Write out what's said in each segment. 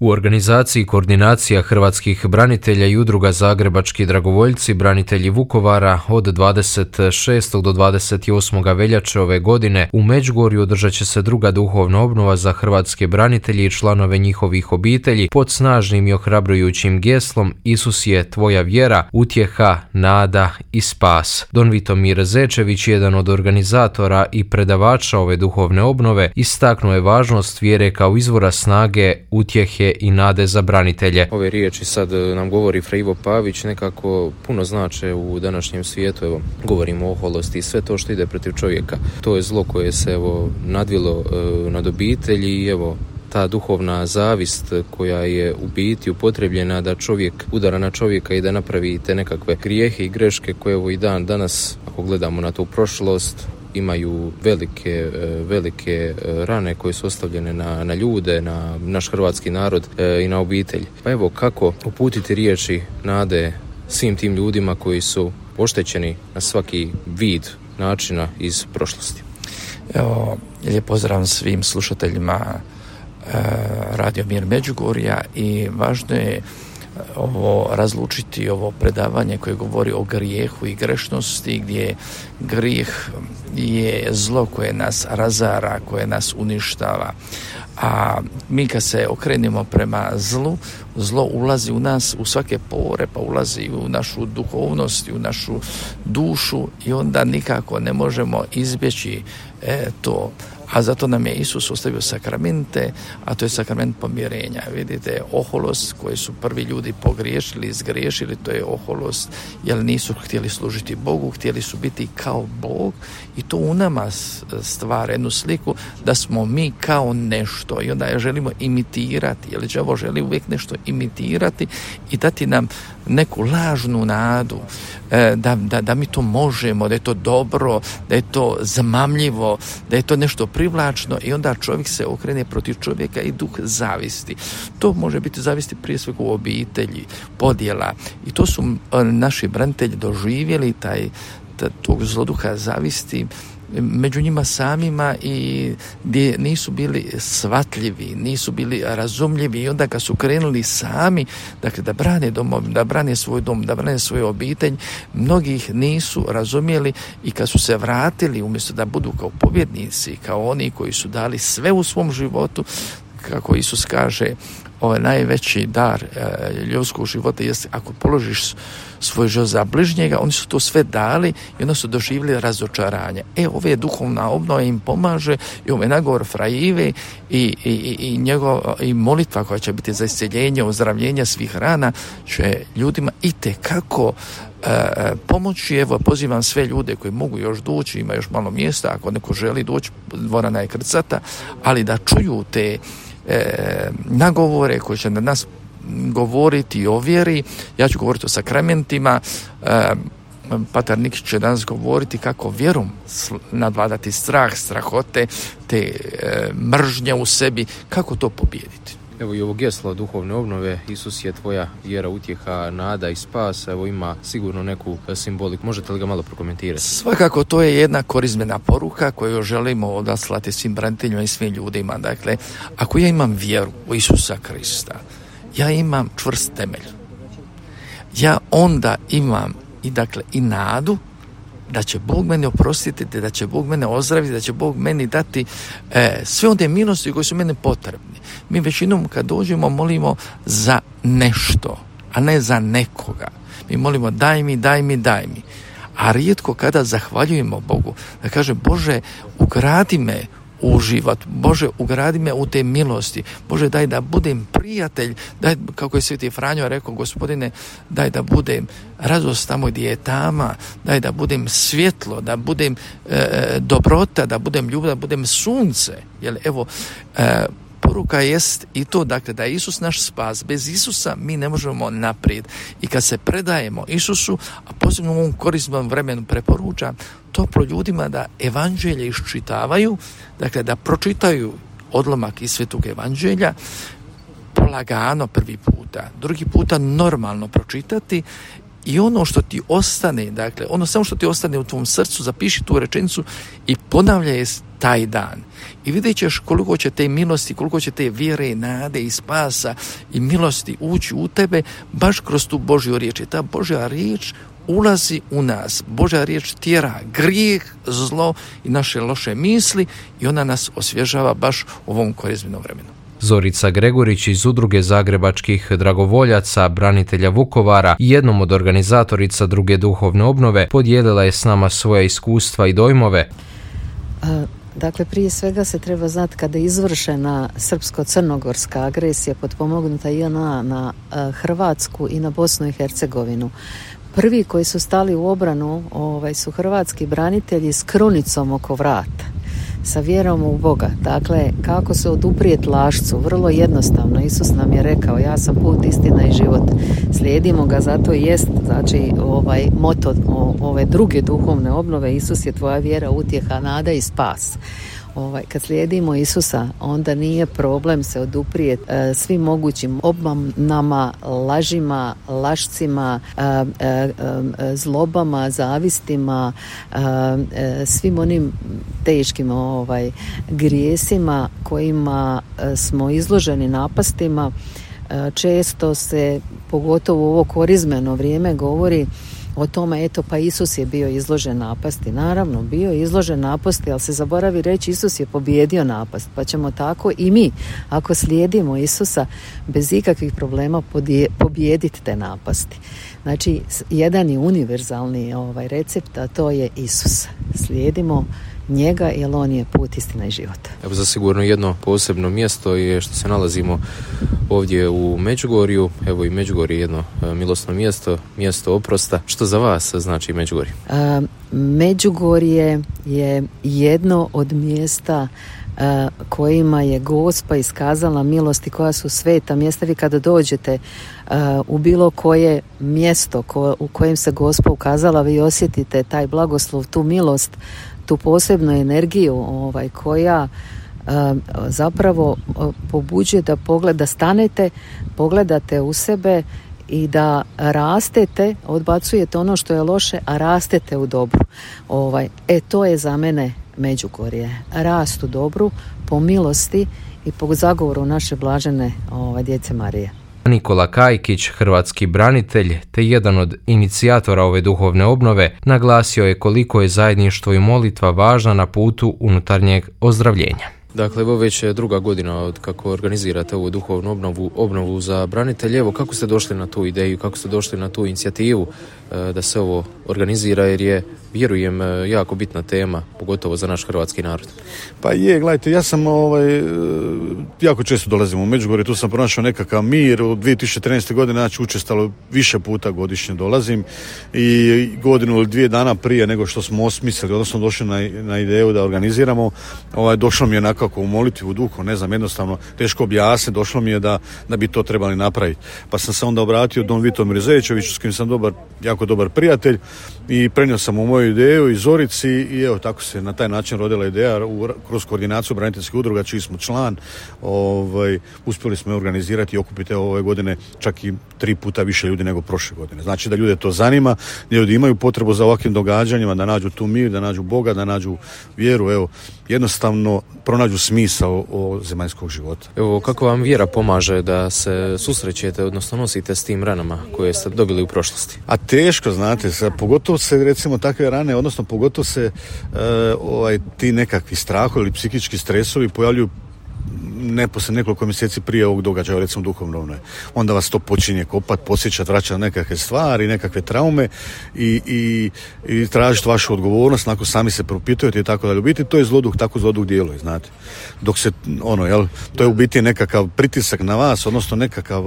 U organizaciji Koordinacija hrvatskih branitelja i udruga Zagrebački dragovoljci, branitelji Vukovara od 26. do 28. veljače ove godine u Međugorju održat će se druga duhovna obnova za hrvatske branitelje i članove njihovih obitelji pod snažnim i ohrabrujućim geslom Isus je tvoja vjera, utjeha, nada i spas. Don Vitomir Zečević, jedan od organizatora i predavača ove duhovne obnove, istaknuo je važnost vjere kao izvora snage, utjehe i nade za branitelje. Ove riječi sad nam govori Fra Ivo Pavić nekako puno znače u današnjem svijetu. Evo, govorimo o oholosti i sve to što ide protiv čovjeka. To je zlo koje se nadvilo nad obitelji i ta duhovna zavist koja je u biti upotrebljena da čovjek udara na čovjeka i da napravi te nekakve grijehe i greške koje i danas, ako gledamo na tu prošlost, imaju velike rane koje su ostavljene na ljude, na naš hrvatski narod i na obitelj. Pa evo, kako uputiti riječi nade svim tim ljudima koji su oštećeni na svaki vid načina iz prošlosti. Evo, lijep pozdrav svim slušateljima Radio Mir Međugorja i važno je ovo razlučiti, ovo predavanje koje govori o grijehu i grešnosti, gdje grijeh je zlo koje nas razara, koje nas uništava. A mi kad se okrenemo prema zlu, zlo ulazi u nas, u svake pore, pa ulazi u našu duhovnost, u našu dušu i onda nikako ne možemo izbjeći to. A zato nam je Isus ostavio sakramente, a to je sakrament pomirenja. Vidite, oholost koju su prvi ljudi pogriješili, izgriješili, to je oholost, jer nisu htjeli služiti Bogu, htjeli su biti kao Bog i to u nama stvara jednu sliku da smo mi kao nešto i onda je želimo imitirati, jer đavo želi uvijek nešto imitirati i dati nam neku lažnu nadu da mi to možemo, da je to dobro, da je to zamamljivo, da je to nešto privlačno i onda čovjek se okrene protiv čovjeka i duh zavisti. To može biti zavisti prije svega u obitelji, podjela i to su naši branitelji doživjeli tog zloduha zavisti među njima samima i gdje nisu bili shvatljivi, nisu bili razumljivi i onda kad su krenuli sami da brane domov, da brane svoj dom, da brane svoju obitelj, mnogih nisu razumjeli i kad su se vratili umjesto da budu kao pobjednici, kao oni koji su dali sve u svom životu, kako Isus kaže, najveći dar ljudskog života jest ako položiš svoj život za bližnjega, oni su to sve dali i onda su doživjeli razočaranje. Ove duhovna obnova im pomaže i ovaj nagovor Fra Ive i molitva koja će biti za isceljenje, ozdravljenje svih rana će ljudima itekako pomoći. Evo, pozivam sve ljude koji mogu još doći, ima još malo mjesta, ako neko želi doći, dvorana je krcata, ali da čuju te nagovore koji će na nas govoriti o vjeri. Ja ću govoriti o sakramentima, Patar Nikić će danas govoriti kako vjerom nadvladati strah, strahote, te mržnje u sebi, kako to pobijediti. Evo i ovo geslo duhovne obnove, Isus je tvoja vjera, utjeha, nada i spas, evo ima sigurno neku simboliku. Možete li ga malo prokomentirati? Svakako, to je jedna korizmena poruka koju želimo odaslati svim braniteljima i svim ljudima. Dakle, ako ja imam vjeru u Isusa Krista, ja imam čvrst temelj. Ja onda imam i nadu da će Bog mene oprostiti, da će Bog mene ozdraviti, da će Bog meni dati sve one milosti koje su mene potrebni. Mi većinom kad dođemo molimo za nešto, a ne za nekoga. Mi molimo daj mi. A rijetko kada zahvaljujemo Bogu, da kaže Bože, ugradi me u život, Bože, ugradi me u te milosti, Bože, daj da budem prijatelj, daj, kako je Sveti Franjo rekao, Gospodine, daj da budem radost tamo gdje je tama, daj da budem svjetlo, da budem dobrota, da budem ljubav, da budem sunce. Jer evo, poruka jest i to, dakle, da je Isus naš spas. Bez Isusa mi ne možemo naprijed. I kad se predajemo Isusu, a posebno u ovom korisnom vremenu preporučam toplo ljudima da evanđelje iščitavaju, dakle da pročitaju odlomak iz Svetog evanđelja, polagano prvi puta, drugi puta normalno pročitati i ono što ti ostane, dakle, ono samo što ti ostane u tvom srcu, zapiši tu rečenicu i ponavljaj je taj dan. I vidjet ćeš koliko će te milosti, koliko će te vjere, nade i spasa i milosti ući u tebe baš kroz tu Božju riječ. I ta Božja riječ ulazi u nas. Božja riječ tjera grijeh, zlo i naše loše misli i ona nas osvježava baš u ovom korizmenom vremenu. Zorica Gregorić iz Udruge zagrebačkih dragovoljaca, branitelja Vukovara i jednom od organizatorica druge duhovne obnove podijelila je s nama svoja iskustva i dojmove. Dakle, prije svega se treba znati kada je izvršena srpsko-crnogorska agresija potpomognuta JNA na Hrvatsku i na Bosnu i Hercegovinu. Prvi koji su stali u obranu su hrvatski branitelji s krunicom oko vrata, sa vjerom u Boga. Dakle, kako se oduprijeti lašcu? Vrlo jednostavno. Isus nam je rekao, ja sam put, istina i život. Slijedimo ga, zato i jest, znači, moto ove druge duhovne obnove, Isus je tvoja vjera, utjeha, nada i spas. Kad slijedimo Isusa, onda nije problem se oduprijeti svim mogućim obmanama, lažima, lašcima, zlobama, zavistima, svim onim teškim grijesima kojima smo izloženi napastima. Često se, pogotovo u ovo korizmeno vrijeme, govori o tome, eto, pa Isus je bio izložen napasti. Naravno, bio je izložen napasti, ali se zaboravi reći, Isus je pobijedio napast. Pa ćemo tako i mi, ako slijedimo Isusa, bez ikakvih problema pobijediti te napasti. Znači, jedan je univerzalni recept, a to je Isus. Slijedimo njega, jer on je put, istina i život. Evo, zasigurno jedno posebno mjesto je što se nalazimo ovdje u Međugorju. Evo, i Međugorje je jedno milosno mjesto, mjesto oprosta. Što za vas znači Međugorje? Međugorje je jedno od mjesta kojima je Gospa iskazala milosti, koja su sveta mjesta. Vi kada dođete u bilo koje mjesto u kojem se Gospa ukazala, vi osjetite taj blagoslov, tu milost, tu posebnu energiju koja zapravo pobuđuje da stanete, pogledate u sebe i da rastete, odbacujete ono što je loše, a rastete u dobru. To je za mene Međugorje. Rast u dobru, po milosti i po zagovoru naše blažene djece Marije. Nikola Kajkić, hrvatski branitelj te jedan od inicijatora ove duhovne obnove, naglasio je koliko je zajedništvo i molitva važna na putu unutarnjeg ozdravljenja. Dakle, evo već je druga godina od kako organizirate ovu duhovnu obnovu za branitelje. Evo, kako ste došli na tu ideju, kako ste došli na tu inicijativu da se ovo organizira, jer je, vjerujem, jako bitna tema, pogotovo za naš hrvatski narod. Pa je, gledajte, ja sam jako često dolazim u Međugorje, tu sam pronašao nekakav mir. U 2013. godine, znači, učestalo više puta godišnje dolazim i godinu ili 2 dana prije nego što smo osmislili, odnosno došli na ideju da organiziramo, došlo mi je nekako u molitvi, u duhu, ne znam, jednostavno teško objasniti, došlo mi je da bi to trebali napraviti. Pa sam se onda obratio Don Vitomiru Zejićeviću, s kojim sam jako dobar prijatelj, i prenio sam mu moju ideju i Zorici i evo tako se na taj način rodila ideja kroz koordinaciju braniteljskih udruga, čiji smo član. Uspjeli smo organizirati i okupiti ove godine čak i 3 puta više ljudi nego prošle godine. Znači da ljude to zanima, da ljudi imaju potrebu za ovakvim događanjima, da nađu tu mir, da nađu Boga, da nađu vjeru, evo, jednostavno pronađu smisao zemaljskog života. Evo, kako vam vjera pomaže da se susrećete, odnosno nosite s tim ranama koje ste dobili u prošlosti? A teško, znate, pogotovo se recimo takve rane, odnosno pogotovo se ti nekakvi strahovi ili psihički stresovi pojavljuju poslije nekoliko mjeseci prije ovog događaja, recimo duhovno. Onda vas to počinje kopati, podsjećati, vraćati na nekakve stvari, nekakve traume i tražiti vašu odgovornost, nakon sami se propitujete i tako dalje. U biti to je zloduh, tako zloduh djeluje, znate. Dok se, to je u biti nekakav pritisak na vas, odnosno nekakav,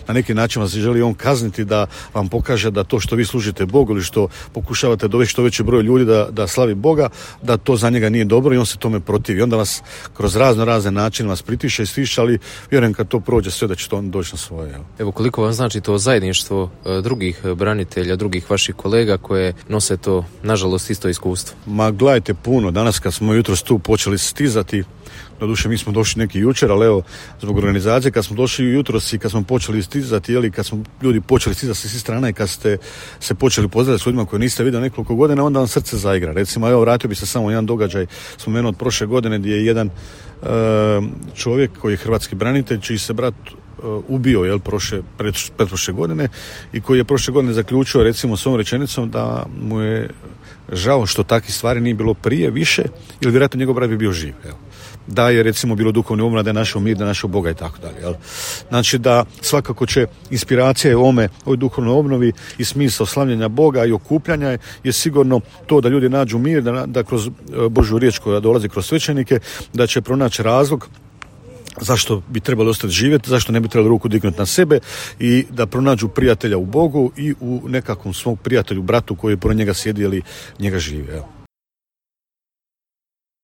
na neki način vas želi on kazniti da vam pokaže da to što vi služite Bogu ili što pokušavate dovesti što veći broj ljudi da slavi Boga, da to za njega nije dobro i on se tome protivi. Onda vas kroz razne načine vas pritiša i stiša, ali vjerujem kad to prođe sve da će to on doći na svoje. Evo, koliko vam znači to zajedništvo drugih branitelja, drugih vaših kolega koje nose to, nažalost, isto iskustvo? Ma gledajte, puno. Danas kad smo jutros tu počeli stizati, Doduše mi smo došli neki jučer, ali evo zbog organizacije kad smo došli jutros i kad smo počeli stizati, ili kad smo ljudi počeli stizati sa svih strana i kad ste se počeli pozdraviti s ljudima koje niste vidjeli nekoliko godina, onda vam srce zaigra. Recimo, evo vratio bi se samo jedan događaj spomenuo od prošle godine gdje je jedan čovjek koji je hrvatski branitelj, čiji se brat ubio pretprošle godine i koji je prošle godine zaključio recimo s ovom rečenicom da mu je žao što takvih stvari nije bilo prije više, ili vjerojatno njegov brat bi bio živ. Evo. Da je recimo bilo duhovni obnova, da je našao mir, da je našao Boga i tako dalje. Znači da svakako će inspiracija ovoj duhovnoj obnovi i smisao slavljenja Boga i okupljanja je sigurno to da ljudi nađu mir, da kroz Božju riječ koja dolazi kroz svećenike, da će pronaći razlog zašto bi trebali ostati živjeti, zašto ne bi trebali ruku dignuti na sebe i da pronađu prijatelja u Bogu i u nekakvom svom prijatelju, bratu koji je pored njega sjedi ili njega živi. Evo.